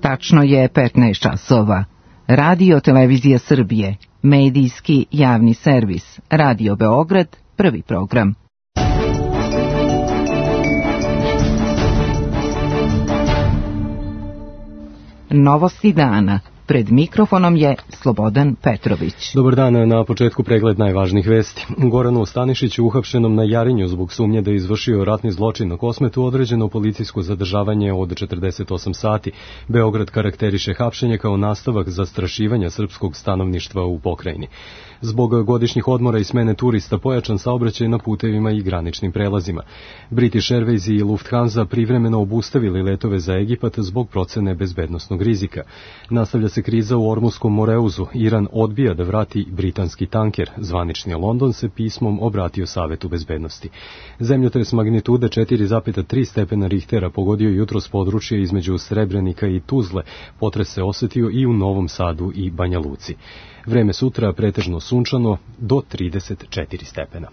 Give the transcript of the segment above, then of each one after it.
Tačno je 15 časova. Radio Televizija Srbije, medijski javni servis, Radio Beograd, prvi program. Novosti dana. Pred mikrofonom je Slobodan Petrović. Dobar dan, na početku pregled najvažnijih vesti. Goranu Stanišiću, uhapšenom na Jarinju zbog sumnje da je izvršio ratni zločin na Kosmetu, određeno policijsko zadržavanje od 48 sati. Beograd karakteriše hapšenje kao nastavak zastrašivanja srpskog stanovništva u pokrajini. Zbog godišnjih odmora i smene turista pojačan saobraćaj na putevima i graničnim prelazima. British Airways i Lufthansa privremeno obustavili letove za Egipat zbog procene bezbednosnog rizika. Nastavlja se kriza u Ormuskom Moreuzu. Iran odbija da vrati britanski tanker. Zvanični London se pismom obratio Savetu bezbednosti. Zemljotres magnitude 4,3 stepena Richtera pogodio jutros područje između Srebrenika i Tuzle. Potres se osetio i u Novom Sadu i Banja Luci. Vreme sutra pretežno sunčano do 34 stepena.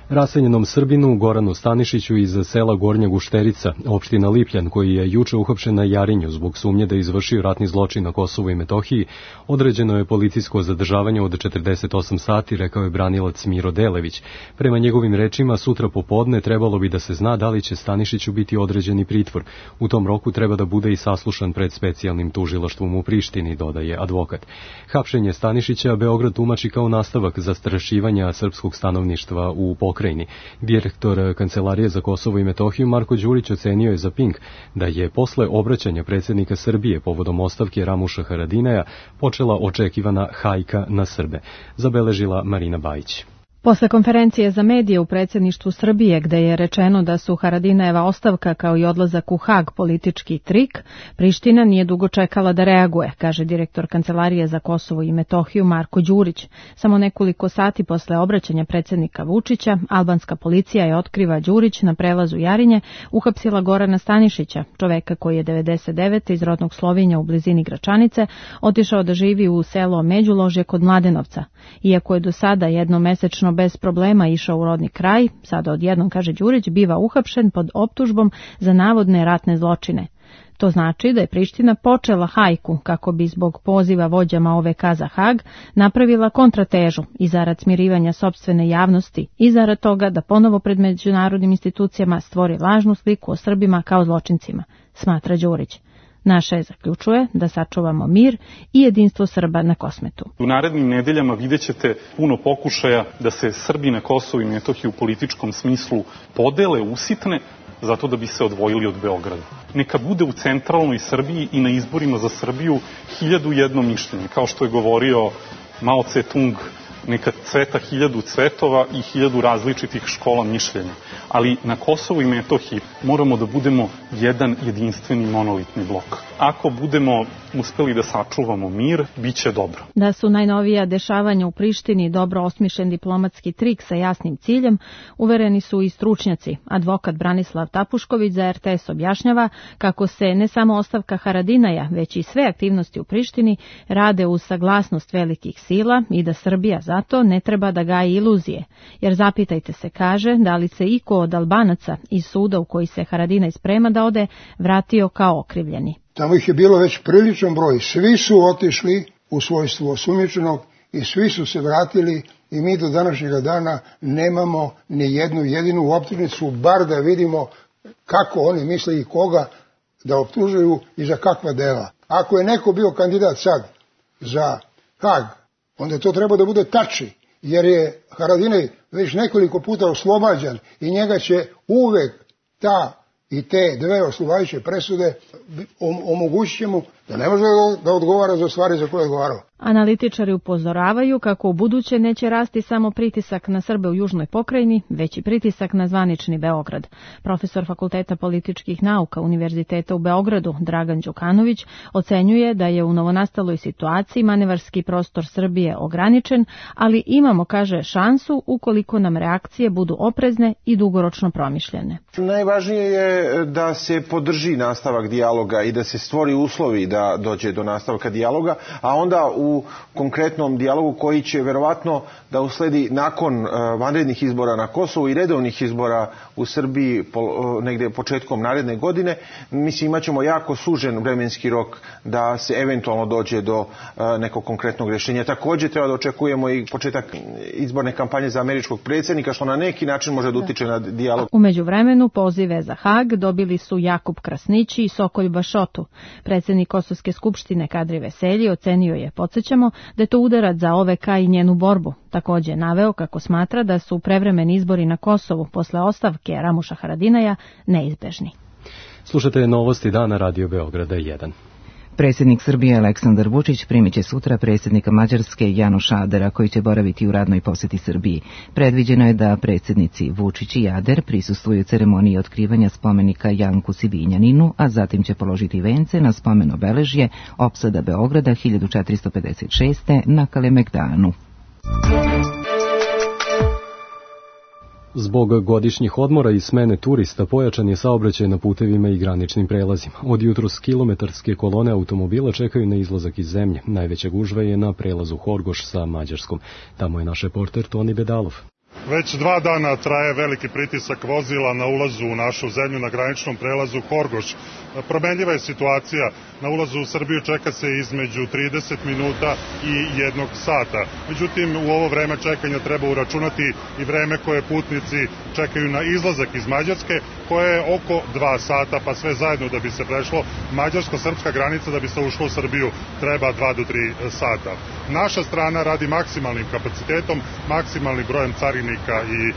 Raseljenom Srbinu Goranu Stanišiću iz sela Gornja Gušterica, opština Lipljan, koji je juče uhapšen na Jarinju zbog sumnje da je izvršio ratni zločin na Kosovu i Metohiji, određeno je policijsko zadržavanje od 48 sati, rekao je branilac Miro Delević. Prema njegovim rečima, sutra popodne trebalo bi da se zna da li će Stanišiću biti određeni pritvor. U tom roku treba da bude i saslušan pred specijalnim tužilaštvom u Prištini, dodaje advokat. Hapšenje Stanišića Beograd tumači kao nastavak zastrašivanja srpskog stanovništva u pokrajini. Direktor Kancelarije za Kosovo i Metohiju Marko Đurić ocenio je za Pink da je posle obraćanja predsjednika Srbije povodom ostavke Ramuša Haradinaja počela očekivana hajka na Srbe, zabeležila Marina Bajić. Posle konferencije za medije u predsjedništvu Srbije, gde je rečeno da su Haradinajeva ostavka kao i odlazak u Hag politički trik, Priština nije dugo čekala da reaguje, kaže direktor Kancelarije za Kosovo i Metohiju Marko Đurić. Samo nekoliko sati posle obraćanja predsjednika Vučića, albanska policija je, otkriva Đurić, na prelazu Jarinje uhapsila Gorana Stanišića, čoveka koji je 99. iz rodnog Slovinja u blizini Gračanice otišao da živi u selo Međuložje kod Mladenovca. Iako je do sada jednomesečno bez problema išao u rodni kraj, sada odjednom, kaže Đurić, biva uhapšen pod optužbom za navodne ratne zločine. To znači da je Priština počela hajku kako bi zbog poziva vođama OVK za Hag napravila kontratežu i zarad smirivanja sopstvene javnosti i zarad toga da ponovo pred međunarodnim institucijama stvori lažnu sliku o Srbima kao zločincima, smatra Đurić. Naše zaključuje da sačuvamo mir i jedinstvo Srba na Kosmetu. U narednim nedeljama vidjet ćete puno pokušaja da se Srbi na Kosovu i Metohiji u političkom smislu podele, usitne, zato da bi se odvojili od Beograda. Neka bude u centralnoj Srbiji i na izborima za Srbiju 1001 mišljenje, kao što je govorio Mao Tse-tung, neka cveta 1000 cvetova i 1000 različitih škola mišljenja. Ali na Kosovu i Metohiji moramo da budemo jedan jedinstveni monolitni blok. Ako budemo uspeli da sačuvamo mir, bit će dobro. Da su najnovija dešavanja u Prištini dobro osmišljen diplomatski trik sa jasnim ciljem, uvereni su i stručnjaci. Advokat Branislav Tapušković za RTS objašnjava kako se ne samo ostavka Haradinaja, već i sve aktivnosti u Prištini rade uz saglasnost velikih sila i da Srbija zato ne treba da gaji iluzije. Jer zapitajte se, kaže, da li se iko od Albanaca iz suda u koji se Haradinaj sprema da ode vratio kao okrivljeni. Tamo ih je bilo već priličan broj. Svi su otišli u svojstvu osumnjičenog i svi su se vratili i mi do današnjega dana nemamo ni jednu jedinu optužnicu, bar da vidimo kako oni misle i koga da optužuju i za kakva dela. Ako je neko bio kandidat sad za Hag, onda to treba da bude Tači, jer je Haradinaj već nekoliko puta oslobađan i njega će uvek ta i te dve oslobađajuće presude omogućit će mu da ne može da odgovara za stvari za koje je odgovarao. Analitičari upozoravaju kako u buduće neće rasti samo pritisak na Srbe u južnoj pokrajini, već i pritisak na zvanični Beograd. Profesor Fakulteta političkih nauka Univerziteta u Beogradu, Dragan Đukanović, ocenjuje da je u novonastaloj situaciji manevarski prostor Srbije ograničen, ali imamo, kaže, šansu ukoliko nam reakcije budu oprezne i dugoročno promišljene. Najvažnije je da se podrži nastavak dijaloga dijaloga i da se stvori uslovi da dođe do nastavka dijaloga, a onda u konkretnom dijalogu koji će verovatno da usledi nakon vanrednih izbora na Kosovu i redovnih izbora u Srbiji negde početkom naredne godine, mislim imaćemo jako sužen vremenski rok da se eventualno dođe do nekog konkretnog rješenja. Također treba da očekujemo i početak izborne kampanje za američkog predsjednika, što na neki način može da utiče na dijalog. U međuvremenu pozive za Hag dobili su Jakub Krasnići i Sokolj Bašotu. Predsjednik Kosovske skupštine Kadri Veselji ocenio je, podsjećamo, da je to udarac za OVK i njenu borbu. Također naveo kako smatra da su prevremeni izbori na Kosovu posle ostavke Ramuša Haradinaja neizbežni. Slušate novosti dana Radio Beograda 1. Predsjednik Srbije Aleksandar Vučić primit će sutra predsjednika Mađarske Janoša Adera, koji će boraviti u radnoj posjeti Srbiji. Predviđeno je da predsjednici Vučić i Ader prisustvuju ceremoniji otkrivanja spomenika Janku Sibinjaninu, a zatim će položiti vence na spomen obeležje opsada Beograda 1456. na Kalemegdanu. Zbog godišnjih odmora i smene turista pojačan je saobraćaj na putevima i graničnim prelazima. Od jutros kilometarske kolone automobila čekaju na izlazak iz zemlje. Najveća gužva je na prelazu Horgoš sa Mađarskom. Tamo je naš reporter Toni Bedalov. Već 2 dana traje veliki pritisak vozila na ulazu u našu zemlju na graničnom prelazu Horgoš. Promenljiva je situacija. Na ulazu u Srbiju čeka se između 30 minuta i 1 sata. Međutim, u ovo vreme čekanja treba uračunati i vreme koje putnici čekaju na izlazak iz Mađarske, koje je oko 2 sata, pa sve zajedno da bi se prešlo mađarsko-srpska granica, da bi se ušlo u Srbiju, treba 2 do 3 sata. Naša strana radi maksimalnim kapacitetom, maksimalnim brojem carinika i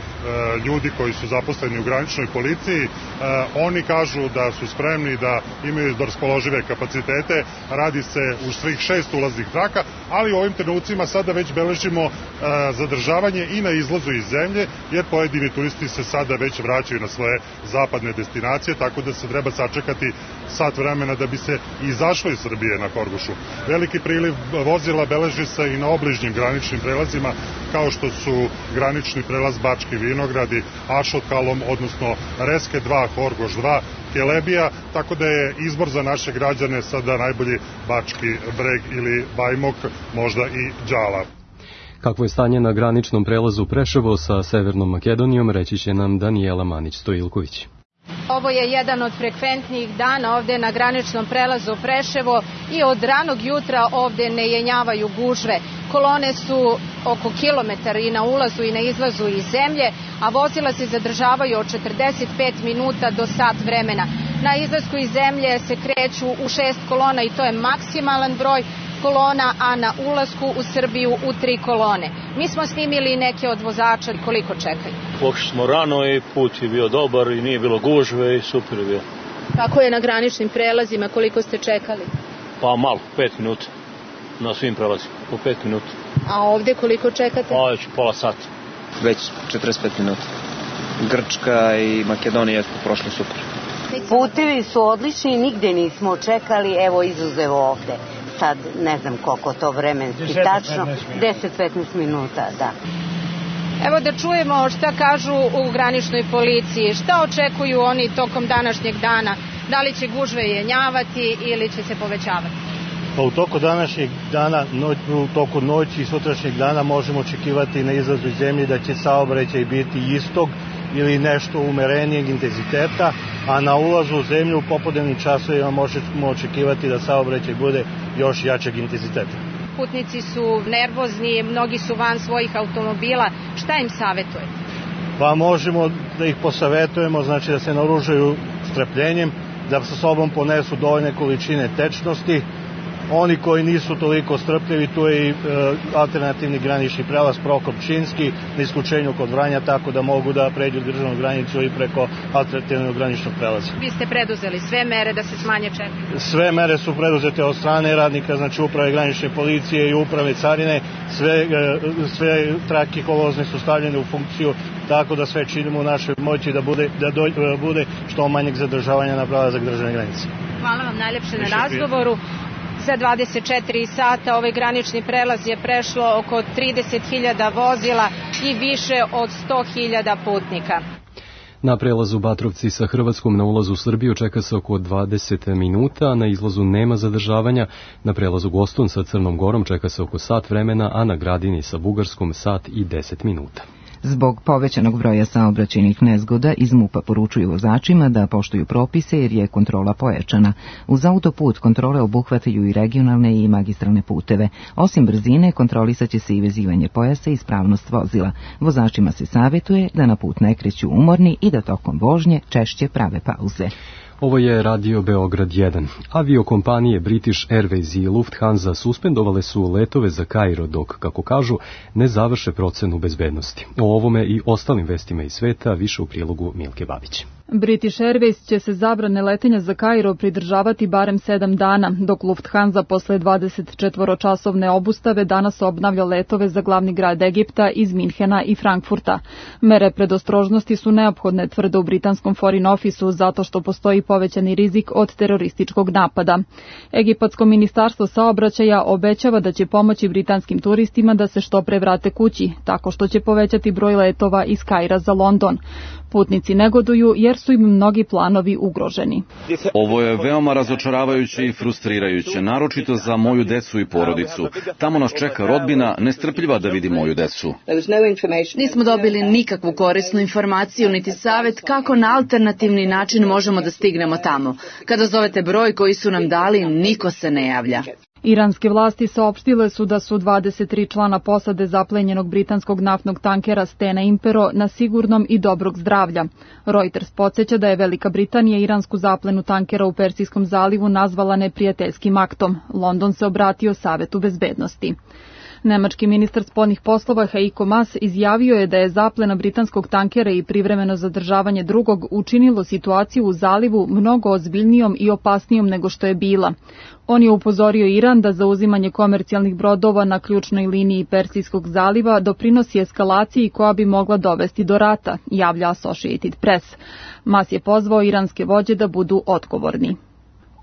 ljudi koji su zaposleni u graničnoj policiji. Oni kažu da su spremni, da imaju raspoložive kapacitete. Radi se u svih 6 ulaznih traka, ali u ovim trenucima sada već beležimo zadržavanje i na izlazu iz zemlje, jer pojedini turisti se sada već vraćaju na svoje zapadne destinacije, tako da se treba sačekati sat vremena da bi se izašlo iz Srbije na Horgošu. Veliki priliv vozila beleži se i na obližnjim graničnim prelazima, kao što su granični prelaz Bački Vinogradi, Ašotkalom, odnosno Reske 2, Horgoš 2, Kelebija, tako da je izbor za naše građane sada najbolji Bački Breg ili Bajmok, možda i Đala. Kakvo je stanje na graničnom prelazu Preševo sa Severnom Makedonijom, reći će nam Danijela Manić-Stojilković. Ovo je jedan od frekventnijih dana ovde na graničnom prelazu Preševo i od ranog jutra ovde ne jenjavaju gužve. Kolone su oko kilometar i na ulazu i na izlazu iz zemlje, a vozila se zadržavaju od 45 minuta do sat vremena. Na izlasku iz zemlje se kreću u 6 kolona i to je maksimalan broj kolona, a na ulasku u Srbiju u 3 kolone. Mi smo snimili neke od vozača koliko čekaju. Pošli smo rano i put je bio dobar i nije bilo gužve i super je bio. Kako je na graničnim prelazima, koliko ste čekali? Pa malo, 5 minuta. Na svim prelazima, po 5 minuta. A ovde koliko čekate? Pa već pola sata. Već 45 minuta. Grčka i Makedonija su prošli super. Putevi su odlični i nigde nismo čekali, evo izuzev ovde. Sad ne znam koliko to vremenski tačno, 10-15 minuta, da. Evo da čujemo šta kažu u graničnoj policiji, šta očekuju oni tokom današnjeg dana, da li će gužve jenjavati ili će se povećavati? Pa u toku današnjeg dana, u toku noći i sutrašnjeg dana možemo očekivati na izlazu iz zemlje da će saobraćaj biti istog ili nešto umerenijeg intenziteta, a na ulazu u zemlju u popodnevnim časovima možemo očekivati da saobraćaj bude još jačeg intenziteta. Putnici su nervozni, mnogi su van svojih automobila. Šta im savjetujete? Pa možemo da ih posavetujemo, znači da se naoružaju strpljenjem, da sa sobom ponesu dovoljne količine tečnosti. Oni koji nisu toliko strpljivi, tu je i alternativni granični prelaz Prokop-Činski na isključenju kod Vranja, tako da mogu da pređu državnu granicu i preko alternativnog graničnog prelaza. Vi ste preduzeli sve mere da se smanje čekanje? Sve mere su preduzete od strane radnika, znači uprave granične policije i uprave carine, sve trake kolozne su stavljene u funkciju, tako da sve činimo u našoj moći da bude što manjeg zadržavanja na prelazak državne granice. Hvala vam najljepše na razgovoru. Za 24 sata ovaj granični prelaz je prešlo oko 30.000 vozila i više od 100.000 putnika. Na prelazu Batrovci sa Hrvatskom na ulazu u Srbiju čeka se oko 20 minuta, na izlazu nema zadržavanja, na prelazu Goston sa Crnom Gorom čeka se oko sat vremena, a na Gradini sa Bugarskom sat i 10 minuta. Zbog povećanog broja saobraćajnih nezgoda iz MUP-a poručuju vozačima da poštuju propise jer je kontrola pojačana. Uz autoput kontrole obuhvataju i regionalne i magistralne puteve. Osim brzine, kontrolisaće se i vezivanje pojasa i ispravnost vozila. Vozačima se savjetuje da na put ne kreću umorni i da tokom vožnje češće prave pauze. Ovo je Radio Beograd 1. Aviokompanije British Airways i Lufthansa suspendovale su letove za Kairo dok, kako kažu, ne završe procenu bezbednosti. O ovome i ostalim vestima iz sveta više u prilogu Milke Babić. British Airways će se zabrane letenja za Kairo pridržavati barem 7 dana, dok Lufthansa posle 24-časovne obustave danas obnavlja letove za glavni grad Egipta iz Minhena i Frankfurta. Mere predostrožnosti su neophodne, tvrde u britanskom Foreign Officeu, zato što postoji povećani rizik od terorističkog napada. Egipatsko ministarstvo saobraćaja obećava da će pomoći britanskim turistima da se što pre vrate kući, tako što će povećati broj letova iz Kaira za London. Putnici negoduju jer su im mnogi planovi ugroženi. Ovo je veoma razočaravajuće i frustrirajuće, naročito za moju decu i porodicu. Tamo nas čeka rodbina, nestrpljiva da vidi moju decu. Nismo dobili nikakvu korisnu informaciju niti savjet kako na alternativni način možemo da stignemo tamo. Kada zovete broj koji su nam dali, niko se ne javlja. Iranske vlasti saopštile su da su 23 člana posade zaplenjenog britanskog naftnog tankera Stena Impero na sigurnom i dobrog zdravlja. Reuters podsjeća da je Velika Britanija iransku zaplenu tankera u Persijskom zalivu nazvala neprijateljskim aktom. London se obratio Savetu bezbednosti. Nemački ministar spoljnih poslova Heiko Maas izjavio je da je zaplena britanskog tankera i privremeno zadržavanje drugog učinilo situaciju u zalivu mnogo ozbiljnijom i opasnijom nego što je bila. On je upozorio Iran da zauzimanje komercijalnih brodova na ključnoj liniji Persijskog zaliva doprinosi eskalaciji koja bi mogla dovesti do rata, javlja Associated Press. Maas je pozvao iranske vođe da budu odgovorni.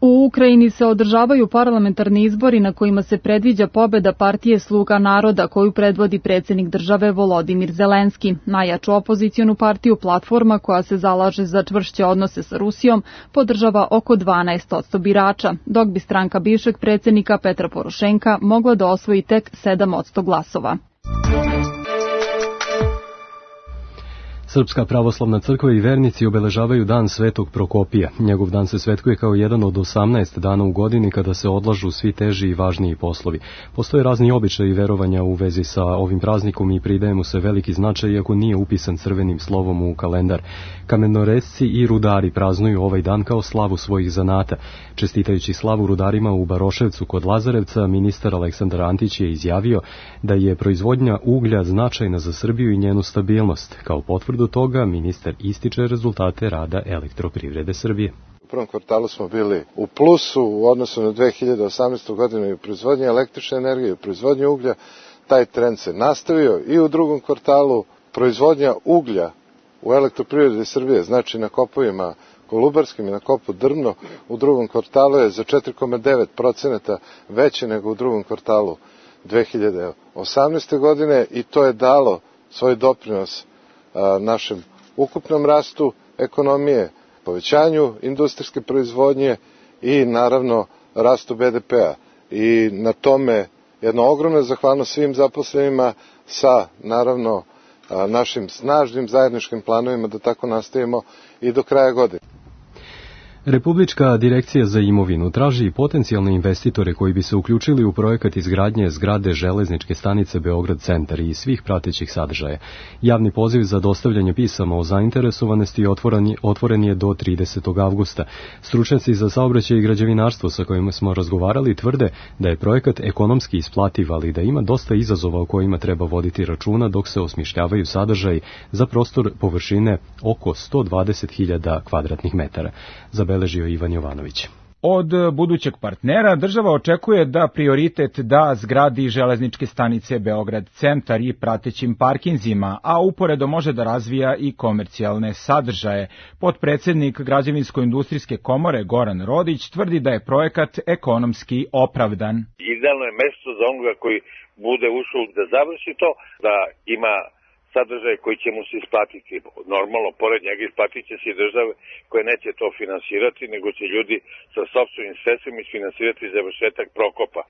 U Ukrajini se održavaju parlamentarni izbori na kojima se predviđa pobeda partije Sluga naroda koju predvodi predsjednik države Volodimir Zelenski. Najjaču opozicionu partiju Platforma, koja se zalaže za čvršće odnose sa Rusijom, podržava oko 12% birača, dok bi stranka bivšeg predsjednika Petra Porošenka mogla da osvoji tek 7% glasova. Srpska pravoslavna crkva i vernici obeležavaju dan Svetog Prokopija. Njegov dan se svetkuje kao jedan od 18 dana u godini kada se odlažu svi teži i važniji poslovi. Postoje razni običaji i verovanja u vezi sa ovim praznikom i pridaje mu se veliki značaj iako nije upisan crvenim slovom u kalendar. Kamenoresci i rudari praznuju ovaj dan kao slavu svojih zanata. Čestitajući slavu rudarima u Baroševcu kod Lazarevca, ministar Aleksandar Antić je izjavio da je proizvodnja uglja značajna za Srbiju i njenu stabilnost. Kao potvrdu toga, ministar ističe rezultate rada Elektroprivrede Srbije. U prvom kvartalu smo bili u plusu u odnosu na 2018. godinu i u proizvodnji električne energije, u proizvodnji uglja. Taj trend se nastavio i u drugom kvartalu. Proizvodnja uglja u Elektroprivredi Srbije, znači na kopovima Kolubarskim i na kopu Drvno, u drugom kvartalu je za 4,9% veće nego u drugom kvartalu 2018. godine i to je dalo svoj doprinos našem ukupnom rastu ekonomije, povećanju industrijske proizvodnje i naravno rastu BDP-a. I na tome jedna ogromna zahvalnost svim zaposlenima sa naravno našim snažnim zajedničkim planovima da tako nastavimo i do kraja godine. Republička direkcija za imovinu traži potencijalne investitore koji bi se uključili u projekat izgradnje zgrade železničke stanice Beograd centar i svih pratećih sadržaja. Javni poziv za dostavljanje pisama o zainteresovanosti otvoren je do 30. avgusta. Stručnjaci za saobraćaj i građevinarstvo sa kojima smo razgovarali tvrde da je projekat ekonomski isplativ, ali da ima dosta izazova o kojima treba voditi računa dok se osmišljavaju sadržaji za prostor površine oko 120.000 kvadratnih metara. Zabeležio Ivan Jovanović. Od budućeg partnera država očekuje da prioritet da zgradi železničke stanice Beograd centar i pratećim parkinzima, a uporedo može da razvija i komercijalne sadržaje. Potpredsednik Građevinsko-industrijske komore Goran Rodić tvrdi da je projekat ekonomski opravdan. Idealno je mesto za onoga koji bude ušao da završi to, da ima sadržaj koji će mu se isplatiti. Normalno, pored njega isplatit će se i države koje neće to finansirati, nego će ljudi sa sopstvenim sredstvima isfinansirati završetak Prokopa.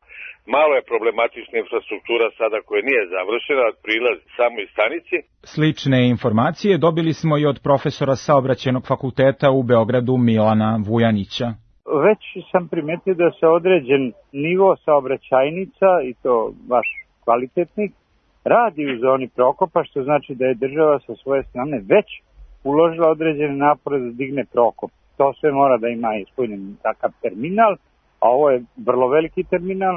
Malo je problematična infrastruktura sada koja nije završena, prilaz samoj stanici. Slične informacije dobili smo i od profesora Saobraćajnog fakulteta u Beogradu Milana Vujanića. Već sam primetio da se određen nivo saobraćajnica, i to baš kvalitetnih, radi u zoni Prokopa, što znači da je država sa svoje strane već uložila određene napore da digne Prokop. To sve mora da ima ispunjen takav terminal, a ovo je vrlo veliki terminal,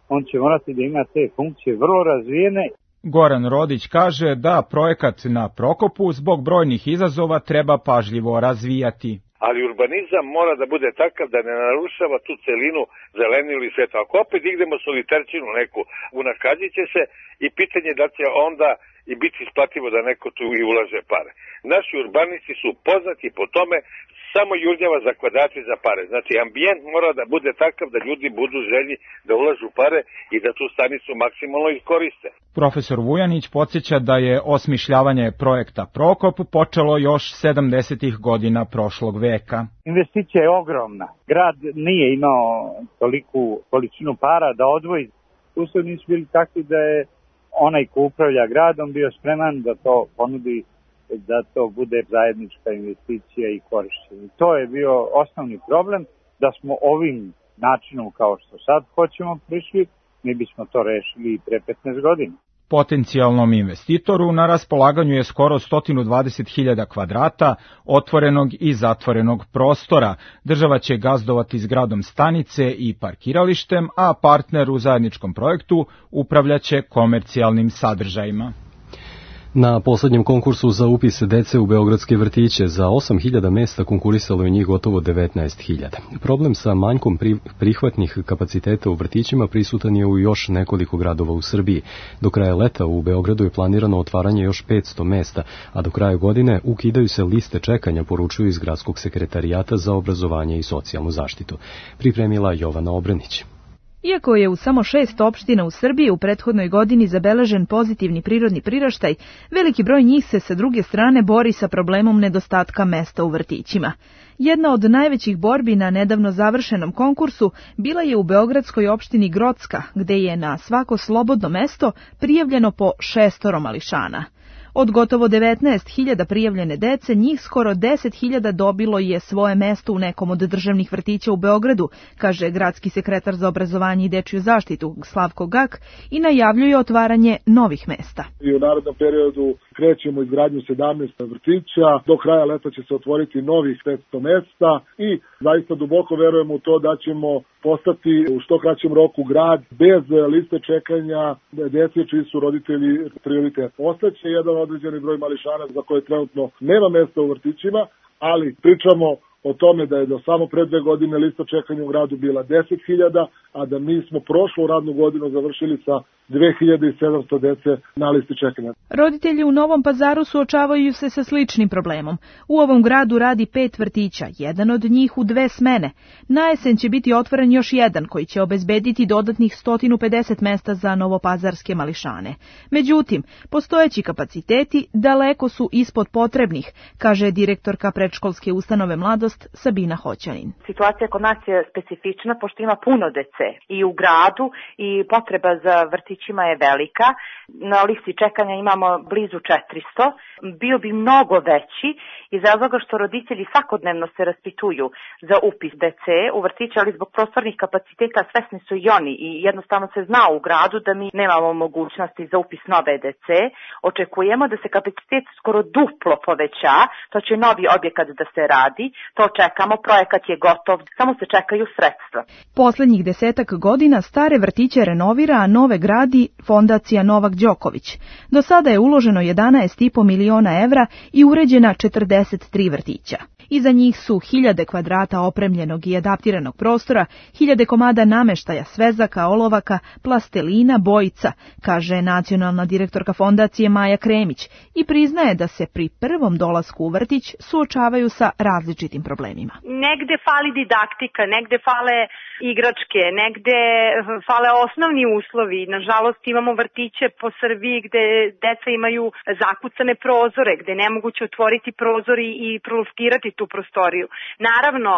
on će morati da ima te funkcije vrlo razvijene. Goran Rodić kaže da projekat na Prokopu zbog brojnih izazova treba pažljivo razvijati. Ali urbanizam mora da bude takav da ne narušava tu celinu zeleniju ili svetu. Ako opet dignemo soliterčinu neku, unakazit će se i pitanje da će onda i biti isplativo da neko tu i ulaže pare. Naši urbanisti su poznati po tome samo jurnjava za kvadrati za pare. Znači, ambijent mora da bude takav da ljudi budu želji da ulažu pare i da tu stanicu maksimalno iskoriste. Profesor Vujanić podsjeća da je osmišljavanje projekta Prokop počelo još 70-ih godina prošlog veka. Investicija je ogromna. Grad nije imao toliku količinu para da odvoji. Uslovi nisu bili takvi da je onaj ko upravlja gradom bio spreman da to ponudi, da to bude zajednička investicija i korišćenje. To je bio osnovni problem, da smo ovim načinom kao što sad hoćemo prišli, mi bismo to rešili pre 15 godina. Potencijalnom investitoru na raspolaganju je skoro 120.000 kvadrata otvorenog i zatvorenog prostora. Država će gazdovati zgradom stanice i parkiralištem, a partner u zajedničkom projektu upravljaće komercijalnim sadržajima. Na poslednjem konkursu za upis dece u beogradske vrtiće za 8.000 mesta konkurisalo je njih gotovo 19.000. Problem sa manjkom prihvatnih kapaciteta u vrtićima prisutan je u još nekoliko gradova u Srbiji. Do kraja leta u Beogradu je planirano otvaranje još 500 mesta, a do kraja godine ukidaju se liste čekanja, poručuju iz Gradskog sekretarijata za obrazovanje i socijalnu zaštitu. Pripremila Jovana Obranić. Iako je u samo 6 opština u Srbiji u prethodnoj godini zabeležen pozitivni prirodni priraštaj, veliki broj njih se sa druge strane bori sa problemom nedostatka mesta u vrtićima. Jedna od najvećih borbi na nedavno završenom konkursu bila je u beogradskoj opštini Grocka, gde je na svako slobodno mesto prijavljeno po 6 mališana. Od gotovo 19.000 prijavljene dece, njih skoro 10.000 dobilo je svoje mesto u nekom od državnih vrtića u Beogradu, kaže gradski sekretar za obrazovanje i dečiju zaštitu Slavko Gak i najavljuje otvaranje novih mesta. I u narednom periodu krećemo izgradnju 17 vrtića, do kraja leta će se otvoriti novih 500 mesta i zaista duboko verujemo u to da ćemo postati u što kraćem roku grad bez liste čekanja dece čiji su roditelji prioritet. Ostaće jedan određeni broj mališana za koje trenutno nema mesta u vrtićima, ali pričamo o tome da je do samo pre 2 godine lista čekanja u gradu bila 10.000, a da mi smo prošlu radnu godinu završili sa 2.700 dece na listi čekanja. Roditelji u Novom Pazaru suočavaju se sa sličnim problemom. U ovom gradu radi 5 vrtića, jedan od njih u 2 smene. Na jesen će biti otvoren još jedan koji će obezbediti dodatnih 150 mesta za novopazarske mališane. Međutim, postojeći kapaciteti daleko su ispod potrebnih, kaže direktorka predškolske ustanove Mladost Sabina Hoćanin. Situacija kod nas je specifična pošto ima puno dece i u gradu i potreba za vrtićima je velika. Na listi čekanja imamo blizu 400. Bio bi mnogo veći iz razloga što roditelji svakodnevno se raspituju za upis dece u vrtiće, ali zbog prostornih kapaciteta svesni su i oni i jednostavno se zna u gradu da mi nemamo mogućnosti za upis nove dece. Očekujemo da se kapacitet skoro duplo poveća, to će novi objekat da se radi, to čekamo, projekat je gotov, samo se čekaju sredstva. Poslednjih 10 godina stare vrtiće renovira, a nove gradi Fondacija Novak Đoković. Do sada je uloženo 11,5 miliona evra i uređena 43 vrtića. Iza njih su 1000 kvadrata opremljenog i adaptiranog prostora, 1000 komada nameštaja, svezaka, olovaka, plastelina, bojica, kaže nacionalna direktorka fondacije Maja Kremić i priznaje da se pri prvom dolasku u vrtić suočavaju sa različitim problemima. Negde fali didaktika, negde fale igračke, negde fale osnovni uslovi. nažalost imamo vrtiće po Srbiji gde deca imaju zakucane prozore, gde ne moguće otvoriti prozor i proluftirati tu prostoriju. Naravno,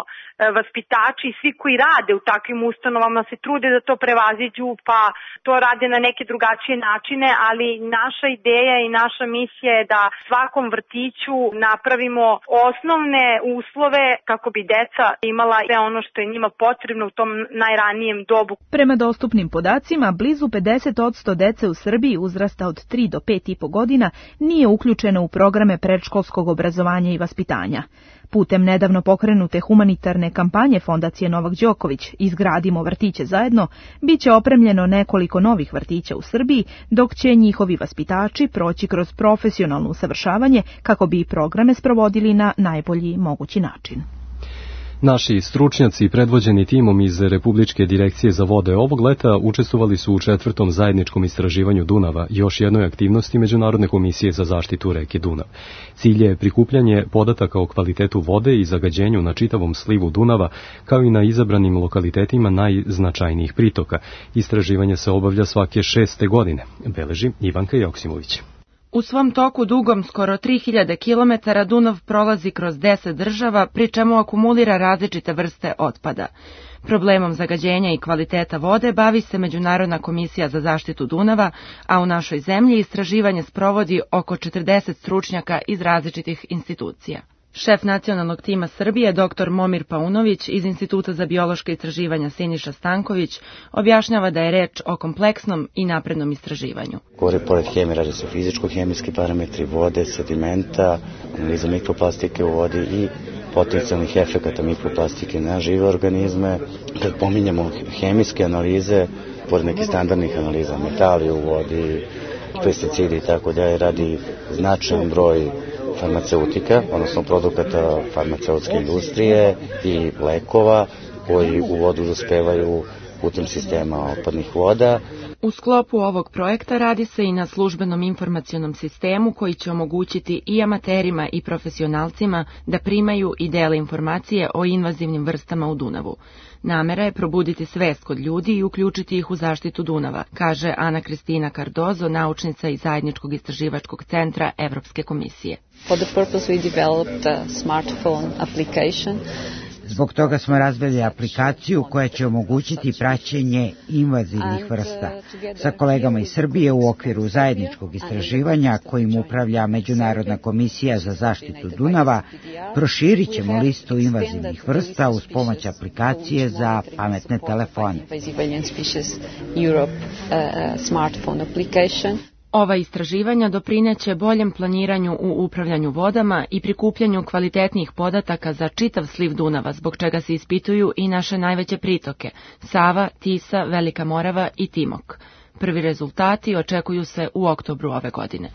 vaspitači i svi koji rade u takvim ustanovama se trude da to prevaziđu, pa to rade na neke drugačije načine, ali naša ideja i naša misija je da svakom vrtiću napravimo osnovne uslove kako bi deca imala sve ono što je njima potrebno u tom najranijem dobu. Prema dostupnim podacima, blizu 50% dece u Srbiji uzrasta od 3 do 5,5 godina nije uključeno u programe predškolskog obrazovanja i vaspitanja. Putem nedavno pokrenute humanitarne kampanje Fondacije Novak Đoković Izgradimo vrtiće zajedno, biće opremljeno nekoliko novih vrtića u Srbiji, dok će njihovi vaspitači proći kroz profesionalno usavršavanje kako bi programe sprovodili na najbolji mogući način. Naši stručnjaci predvođeni timom iz Republičke direkcije za vode ovog leta učestvovali su u 4. zajedničkom istraživanju Dunava, još jednoj aktivnosti Međunarodne komisije za zaštitu reke Dunav. Cilj je prikupljanje podataka o kvalitetu vode i zagađenju na čitavom slivu Dunava, kao i na izabranim lokalitetima najznačajnijih pritoka. Istraživanje se obavlja svake 6. godine, beleži Ivanka Joksimović. U svom toku dugom skoro 3000 km Dunav prolazi kroz 10 država, pri čemu akumulira različite vrste otpada. Problemom zagađenja i kvaliteta vode bavi se Međunarodna komisija za zaštitu Dunava, a u našoj zemlji istraživanje sprovodi oko 40 stručnjaka iz različitih institucija. Šef nacionalnog tima Srbije, dr. Momir Paunović iz Instituta za biološke istraživanja Siniša Stanković, objašnjava da je reč o kompleksnom i naprednom istraživanju. Pored hemije radi se fizičko-hemijski parametri vode, sedimenta, analiza mikroplastike u vodi i potencijalnih efekata mikroplastike na žive organizme. Kad pominjamo hemijske analize, pored nekih standardnih analiza, metali u vodi, pesticidi i tako dalje, radi značajan broj farmaceutika, odnosno produkata farmaceutske industrije i lekova koji u vodu dospevaju putem sistema otpadnih voda. U sklopu ovog projekta radi se i na službenom informacionom sistemu koji će omogućiti i amaterima i profesionalcima da primaju i dele informacije o invazivnim vrstama u Dunavu. Namera je probuditi svest kod ljudi i uključiti ih u zaštitu Dunava, kaže Ana Kristina Cardozo, naučnica iz Zajedničkog istraživačkog centra Evropske komisije. For the purpose we developed a smartphone application. Zbog toga smo razvili aplikaciju koja će omogućiti praćenje invazivnih vrsta. Sa kolegama iz Srbije u okviru zajedničkog istraživanja kojim upravlja Međunarodna komisija za zaštitu Dunava, proširit ćemo listu invazivnih vrsta uz pomoć aplikacije za pametne telefone. Ova istraživanja doprineće boljem planiranju u upravljanju vodama i prikupljanju kvalitetnijih podataka za čitav sliv Dunava, zbog čega se ispituju i naše najveće pritoke – Sava, Tisa, Velika Morava i Timok. Prvi rezultati očekuju se u oktobru ove godine.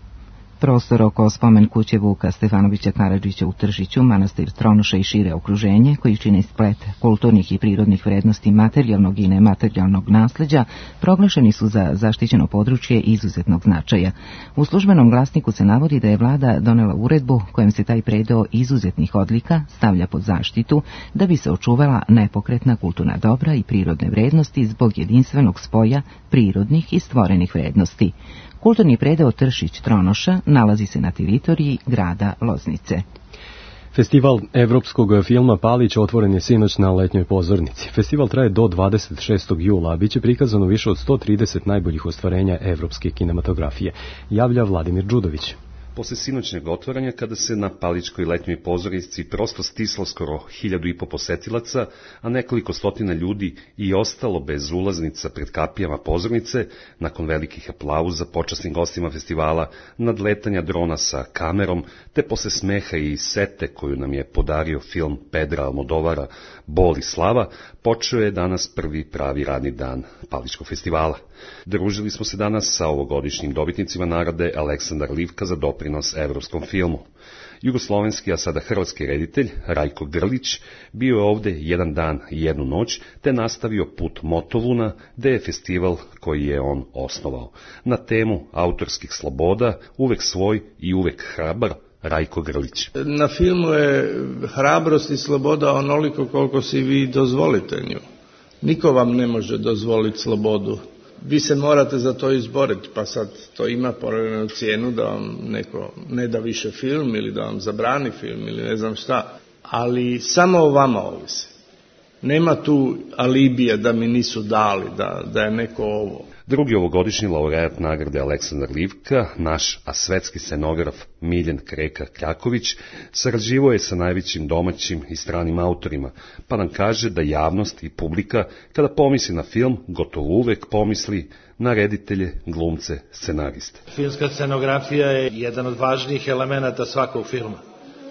Prostor oko spomen kuće Vuka Stefanovića Karadžića u Tržiću, manastir Tronoša i šire okruženje, koji čine splet kulturnih i prirodnih vrednosti materijalnog i nematerijalnog nasleđa, proglašeni su za zaštićeno područje izuzetnog značaja. U službenom glasniku se navodi da je vlada donela uredbu kojom se taj predeo izuzetnih odlika stavlja pod zaštitu da bi se očuvala nepokretna kulturna dobra i prirodne vrednosti zbog jedinstvenog spoja prirodnih i stvorenih vrednosti. Kulturni predeo Tršić-Tronoša nalazi se na teritoriji grada Loznice. Festival evropskog filma Palić otvoren je sinoć na letnjoj pozornici. Festival traje do 26. jula, a bit će prikazano više od 130 najboljih ostvarenja evropske kinematografije, javlja Vladimir Đudović. Posle sinoćnjeg otvaranja, kada se na Palićkoj letnjoj pozornici prosto stislo skoro 1500 posetilaca, a nekoliko stotina ljudi i ostalo bez ulaznica pred kapijama pozornice, nakon velikih aplauza počasnim gostima festivala, nadletanja drona sa kamerom, te posle smeha i sete koju nam je podario film Pedra Almodovara Bol i slava, počeo je danas prvi pravi radni dan Palićkog festivala. Družili smo se danas sa ovogodišnjim dobitnicima nagrade Aleksandar Livka za doprinos evropskom filmu. Jugoslovenski, a sada hrvatski reditelj Rajko Grlić bio je ovde jedan dan i jednu noć, te nastavio put Motovuna, gde je festival koji je on osnovao. Na temu autorskih sloboda, uvek svoj i uvek hrabar, Rajko Grlić. Na filmu je hrabrost i sloboda onoliko koliko si vi dozvolite nju. Niko vam ne može dozvoliti slobodu. vi se morate za to izboriti, pa sad to ima povremenu cijenu da vam neko ne da više film ili da vam zabrani film ili ne znam šta, ali samo o vama ovisi. Nema tu alibija da mi nisu dali, da je neko ovo. Drugi ovogodišnji laureat nagrade Aleksandar Livka, naš a svetski scenograf Miljen Kreka Kraković, sarađivao je sa najvećim domaćim i stranim autorima, pa nam kaže da javnost i publika, kada pomisli na film, gotovo uvek pomisli na reditelje, glumce, scenariste. Filmska scenografija je jedan od važnijih elemenata svakog filma,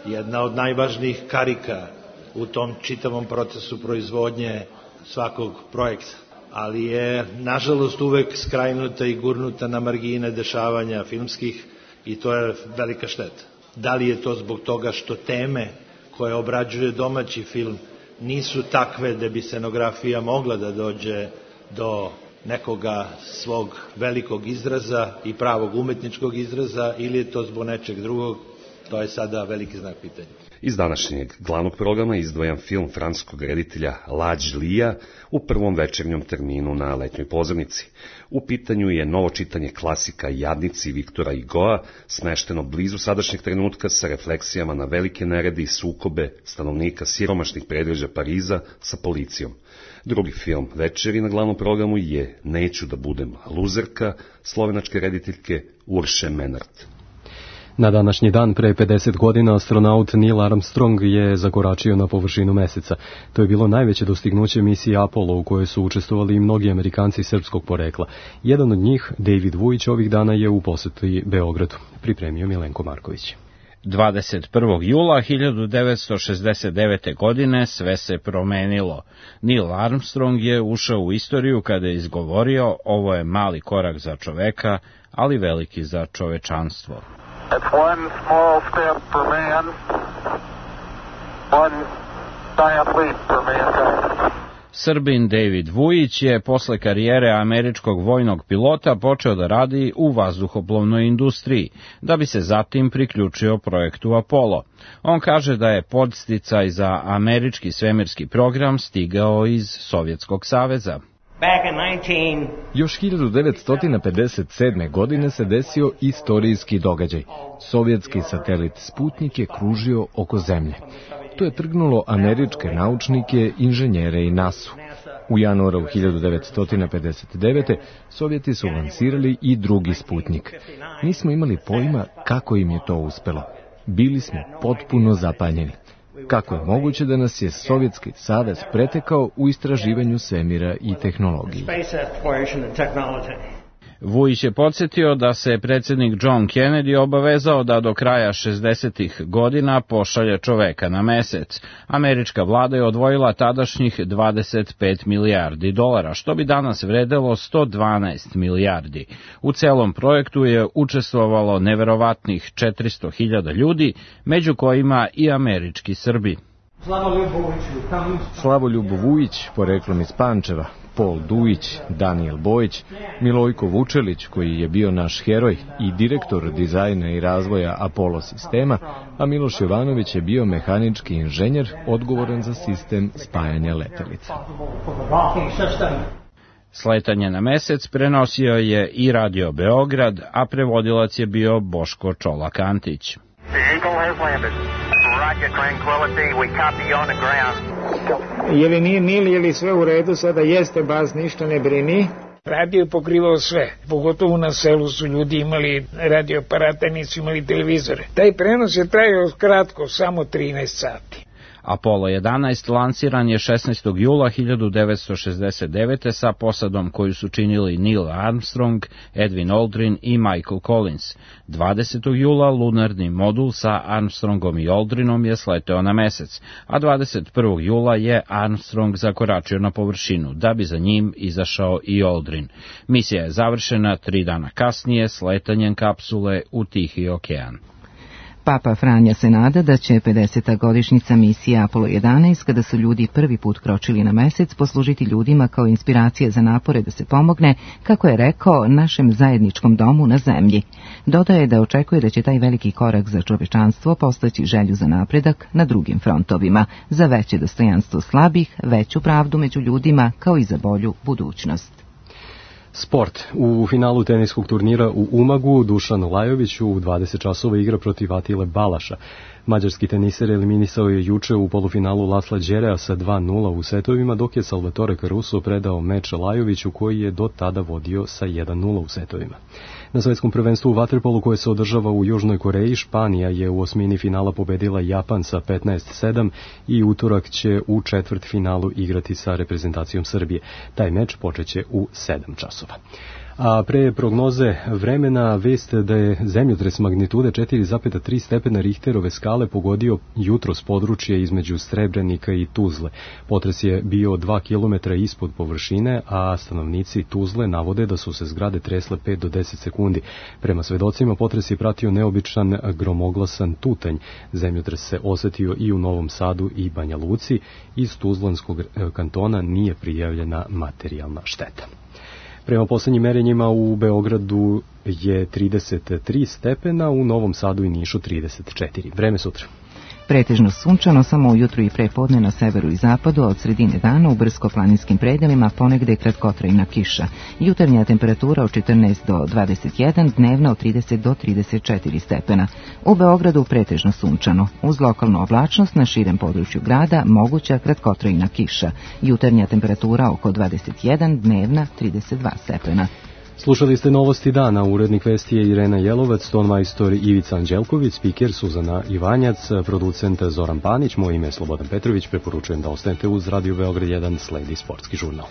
jedna od najvažnijih karika u tom čitavom procesu proizvodnje svakog projekta, ali je nažalost uvek skrajnuta i gurnuta na margine dešavanja filmskih i to je velika šteta. Da li je to zbog toga što teme koje obrađuje domaći film nisu takve da bi scenografija mogla da dođe do nekoga svog velikog izraza i pravog umetničkog izraza, ili je to zbog nečeg drugog, to je sada veliki znak pitanja. Iz današnjeg glavnog programa izdvajam film francuskog reditelja Lađ Lija u prvom večernjom terminu na letnjoj pozornici. U pitanju je novo čitanje klasika Jadnici Viktora Hugoa, smešteno blizu sadašnjeg trenutka sa refleksijama na velike nerede i sukobe stanovnika siromašnih predgrađa Pariza sa policijom. Drugi film večeri na glavnom programu je Neću da budem luzerka, slovenačke rediteljke Urše Menard. Na današnji dan pre 50 godina astronaut Neil Armstrong je zakoračio na površinu meseca. To je bilo najveće dostignuće misije Apollo u kojoj su učestvovali i mnogi Amerikanci srpskog porekla. Jedan od njih, David Vujić, ovih dana je u poseti Beogradu. Pripremio Milenko Marković. 21. jula 1969. godine sve se promenilo. Neil Armstrong je ušao u istoriju kada je izgovorio: ovo je mali korak za čoveka, ali veliki za čovečanstvo. It's one small step for man, one giant leap for mankind. Srbin David Vujić je posle karijere američkog vojnog pilota počeo da radi u vazduhoplovnoj industriji, da bi se zatim priključio projektu Apollo. On kaže da je podsticaj za američki svemirski program stigao iz Sovjetskog saveza. Još 1957. godine se desio istorijski događaj. Sovjetski satelit Sputnik je kružio oko Zemlje. To je trgnulo američke naučnike, inženjere i NASA-u. U januaru 1959. Sovjeti su lansirali i drugi Sputnik. Nismo imali pojma kako im je to uspelo. Bili smo potpuno zapanjeni. Kako je moguće da nas je Sovjetski savez pretekao u istraživanju svemira i tehnologiji? Vujić je podsjetio da se predsjednik John Kennedy obavezao da do kraja 60. godina pošalje čoveka na mesec. Američka vlada je odvojila tadašnjih $25 milijardi, što bi danas vredelo 112 milijardi. U celom projektu je učestvovalo neverovatnih 400.000 ljudi, među kojima i američki Srbi. Slavoljub Vujić, poreklom iz Pančeva, Pol Dujić, Danijel Bojić, Milojko Vučelić, koji je bio naš heroj i direktor dizajna i razvoja Apollo sistema, a Miloš Jovanović je bio mehanički inženjer odgovoran za sistem spajanja letelica. Sletanje na mesec prenosio je i Radio Beograd, a prevodilac je bio Boško Čolak-Antić. Je li nije Nil, je li sve u redu, sada jeste baz, ništa ne brini. Radio je pokrivao sve, pogotovo na selu su ljudi imali radioaparate, nisu imali televizore. Taj prenos je trajao kratko, samo 13 sati. Apollo 11 lansiran je 16. jula 1969. sa posadom koju su činili Neil Armstrong, Edwin Aldrin i Michael Collins. 20. jula lunarni modul sa Armstrongom i Aldrinom je sleteo na mesec, a 21. jula je Armstrong zakoračio na površinu, da bi za njim izašao i Aldrin. Misija je završena 3 dana kasnije sletanjem kapsule u Tihi okean. Papa Franja se nada da će 50. godišnjica misije Apollo 11, kada su ljudi prvi put kročili na mesec, poslužiti ljudima kao inspiracija za napore da se pomogne, kako je rekao, našem zajedničkom domu na zemlji. Dodaje da očekuje da će taj veliki korak za čovečanstvo postaći želju za napredak na drugim frontovima, za veće dostojanstvo slabih, veću pravdu među ljudima, kao i za bolju budućnost. Sport. U finalu teniskog turnira u Umagu Dušan Lajović u 20 časova igra protiv Atile Balaša. Mađarski teniser eliminisao je juče u polufinalu Lasla Đerea sa 2:0 u setovima, dok je Salvatore Caruso predao meč Lajoviću koji je do tada vodio sa 1:0 u setovima. Na svetskom prvenstvu u vaterpolu koje se održava u Južnoj Koreji, Španija je u osmini finala pobedila Japan sa 15:7 i utorak će u četvrtfinalu igrati sa reprezentacijom Srbije. Taj meč počeće u 7 časova. A pre prognoze vremena vest da je zemljotres magnitude 4,3 stepena Richterove skale pogodio jutros područje između Srebrenika i Tuzle. Potres je bio 2 km ispod površine, a stanovnici Tuzle navode da su se zgrade tresle 5 do 10 sekundi. Prema svedocima potres je pratio neobičan gromoglasan tutanj. Zemljotres se osetio i u Novom Sadu i Banja Luci. Iz Tuzlanskog kantona nije prijavljena materijalna šteta. Prema poslednjim merenjima u Beogradu je 33 stepena, u Novom Sadu i Nišu 34. Vreme sutra. Pretežno sunčano, samo ujutru i prepodne na severu i zapadu, a od sredine dana u brdsko-planinskim predelima ponegde kratkotrajna kiša. Jutarnja temperatura od 14 do 21, dnevna od 30 do 34 stepena. U Beogradu pretežno sunčano. Uz lokalnu oblačnost na širem području grada moguća kratkotrajna kiša. Jutarnja temperatura oko 21, dnevna 32 stepena. Slušali ste novosti dana, urednik vesti je Irena Jelovac, tonmajstor Ivica Anđelković, spiker Suzana Ivanjac, producent Zoran Panić, moje ime je Slobodan Petrović, preporučujem da ostanete uz Radio Beograd 1, sledi sportski žurnal.